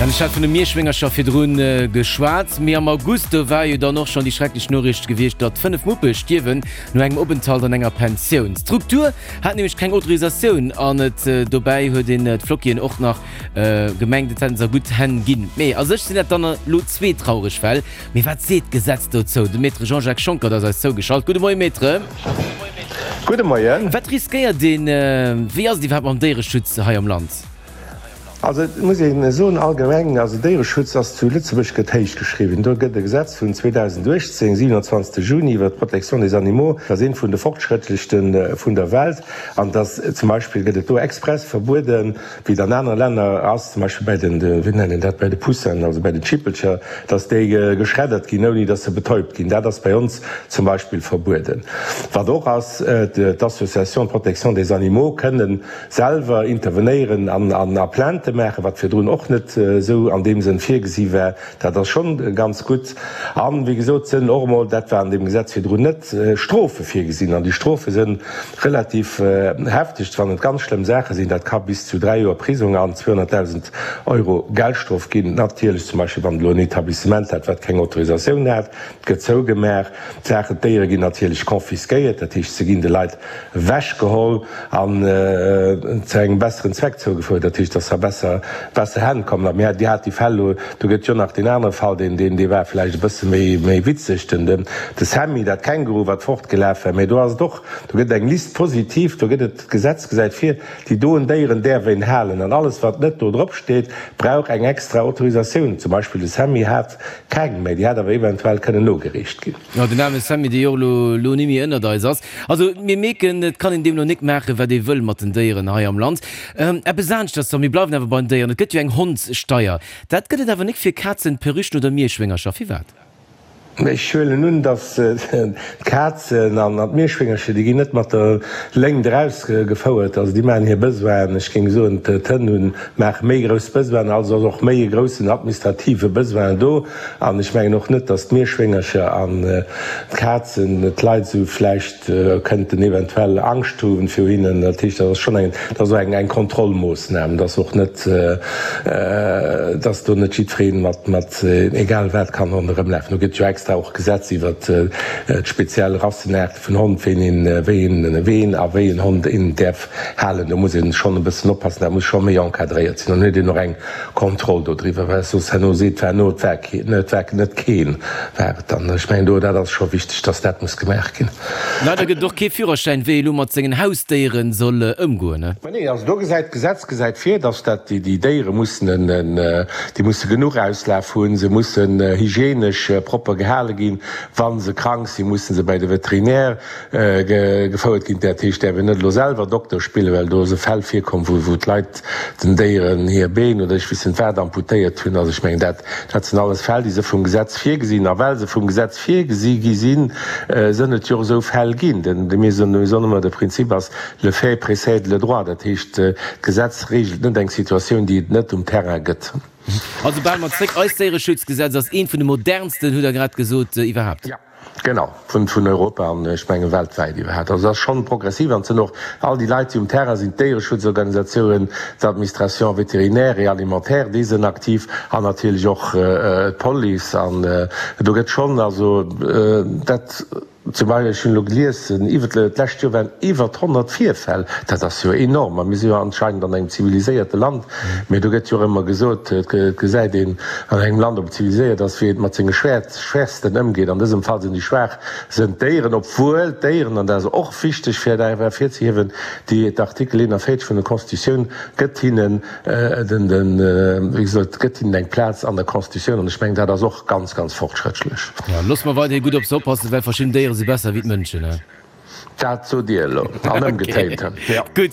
Jan, ech hat vun de Mierschwéngercher virdrun geschwat, mee am August, do war jo dann och schonn déi schrecklech Noriicht gewiescht, datt 5 Muppe stierwen no engem Openthalt an enger Pensioun. D'Struktur hat nämlech keng Autorisatioun an et dobäi huet een d'Flockien och nach gemengt, et hätten se a gutt Hänn ginn. Mee a sech sinn dat dann elo zwee traureg Fäll. Mee wat seet d'Gesetz dozou? De Maître Jean-Jacques Schonckert ass eis zougeschalt. Gudde Moie Maître. Gudde Moien. Wat riskéiert een, wéi ass et iwwerhaapt mam Déiereschutz hei am Land? Also et muss ee soen, allgemeng, also Déiereschutz ass zu Lëtzebuerg gëtt héich geschriwwen. Do gëtt e Gesetz vun 2018, 27 Juni, iwwert d'Protection des animaux, dat ass eent vun de fortschrëttlechste vun der Welt. An dass zum Beispill gëtt et do express verbueden, wéi et an anere Länner ass, zum Beispill bäi den, wéi nennt een dat, bäi de Poussinen, also bäi den Schippelcher, dass déi geschreddert ginn, ouni dass se betäubt ginn. Dat ass bei ons zum Beispill verbueden. Wat och ass, d'Associations de protection des animaux kënnen selwer intervenéieren an a Plainte maachen, wat virdrun och net esou an deem Sënn virgesi war. Dat ass schonn ganz gutt. An, wéi gesot, sënn och emol, dat war an deem Gesetz virdrun net, Strofe virgesinn. An déi Strofe sënn relativ hefteg, wann et ganz schlëmm Saache sinn. Dat ka bis zu dräi Joer Prisong an 200.000 Euro Geldstrof ginn. Natierlech zum Beispill, wann elo en Etablissement hat, wat keng Autorisatioun hat, et gëtt zougemaach. D'Saachen, d'Déiere ginn natierlech confisquéiert, dat heescht, se ginn de Leit ewechgeholl an zu engem besseren Zweck zougefouert, dat heescht, dass se a besser, besser Hänn kommen. A mir, Dir hat déi Fäll elo, do gëtt jo nach deen anere Fall, deen, deen, dee war vläicht e bësse méi, méi witzeg, den, den, de Sammy, dat Känguru, wat fortgelaf war. Mä do ass et och, do gëtt et eng Liste positive, do gëtt et, d'Gesetz gesäit vir, déi doen Déieren däerf een halen an alles, wat net do drop steet, brauch eng extra Autorisatioun. Zum Beispill de Sammy hat keng, mä déi hätt awer eventuell kënnen nogereecht ginn. Jo, den aarme Sammy, dee jo och elo, elo ni méi ënnert eis ass. Also, mir mierken, et kann een deemno nik maachen, wat ee wëll mat den Déieren hei am Land. Eppes aneschters dann, mir bleiwen awer bei den Déieren, et gëtt jo eng Hondssteier. Dat gëtt et awer nik fir Kazen, Perruchen oder Mierschwéngercher. Firwat? Ech huelen un, datt d'Kazen an d'Mierschwéngercher, déi ginn net mat der Léngt erausgefouert. Also déi maachen hir Besoinen. Ech géing soen, d'Hënn hunn, maache méi grouss Besoinen, also ass och méi e groussen administrative Besoin do. An ech mengen och net, datt d'Mierschwéngercher an d'Kazen d'Leit esou vläicht kënnten eventuell Angscht hu viru hinnen. Dat heescht, dat ass schonn eng, dat ass och eng, eng Kontrollmoossnam, datt och net, datt do net jiddweree mat, mat egal wat kann ronderëmlafen. Do gëtt jo extra och Gesetz iwwert d'speziell Rassenaarte vun Hond, wéi een, wéi een, ween a wéi en Hond een däerf halen. Do muss ee schonn e bëssen oppassen, dat muss scho méi encadréiert sinn. Dann huet een och eng Kontroll do driwwer, well soss herno seet, war no, et war keen, et war net keen, war et dann. Ech mengen do, dat ass scho wichteg, dass dat muss gemaach ginn. Leider gëtt et och kee Führerschäin, wéi ee lo mat sengen Hausdéiere soll ëmgoen, ne? Mä nee, also do gesäit, d'Gesetz gesäit vir, dass dat déi, déi Déiere mussen en, en, déi musse genuch Auslaf hunn, se mussen hygienesch propper gehale ginn, wa se krank sinn, musse se bäi de Veterinär gefouert ginn. Dat heescht, däerf een net elo selwer Dokter spillen, well do si Fäll virkomm, wou, wou d'Leit den Déieren hir Been oder ech weess net wat amputéiert hunn. Also ech mengen, dat, dat sinn alles Fäll, déi se vum Gesetz virgesinn. A well se vum Gesetz virgesi gi sinn, sënn et jo och esou Fäll ginn. Denn mir soen, mir soen ëmmer, de Prinzip ass, le fait précède le droit. Dat heescht, d'Gesetz regelt net eng Situatioun, déi et net um Terrain gëtt. Also bal mat zréck, Eist Déiereschutzgesetz ass eent vun de modernsten, hutt Der grad gesot, iwwerhaapt. Jo. Genau, vun vun Europa an ech menge weltwäit iwwerhaapt. Also dat ass schonn progressiv an et sinn och all déi Leit, déi um Terrain sinn, d'Déiereschutzorganisatiounen, d'Administration vétérinaire et alimentaire, déi sinn aktiv an natierlech och d'Police. An do gëtt schonn, also dat zum Beispill, ech hunn elo gelies, iwwert d'lescht Joer waren iwwert 100 Virfäll, dat ass jo enorm. A mir si jo anscheinend an engem ziviliséierte Land, mee do gëtt jo och ëmmer gesot, et gesäit een an engem Land, ob et ziviliséiert ass, wéi et mat senge Schwäert, Schwächsten ëmgeet. An dësem Fall sinn déi Schwaach sënn d'Déieren, obwuel d'Déieren, an dat ass och wichteg fir dat ervirzehiewen, déi d'Artikel 41 vun der Constitutioun gëtt hinnen den, den, wéi gesot, gëtt hinnen eng Plaz an der Constitutioun an ech mengen, dat ass och ganz, ganz fortschrëttlech. Jo, loosse mer weiderhi gutt op se oppassen, well verschidden Déiere si besser wéi d'Mënschen, he? Dat sot Dir elo, an ëmgetéint, jo. Gutt.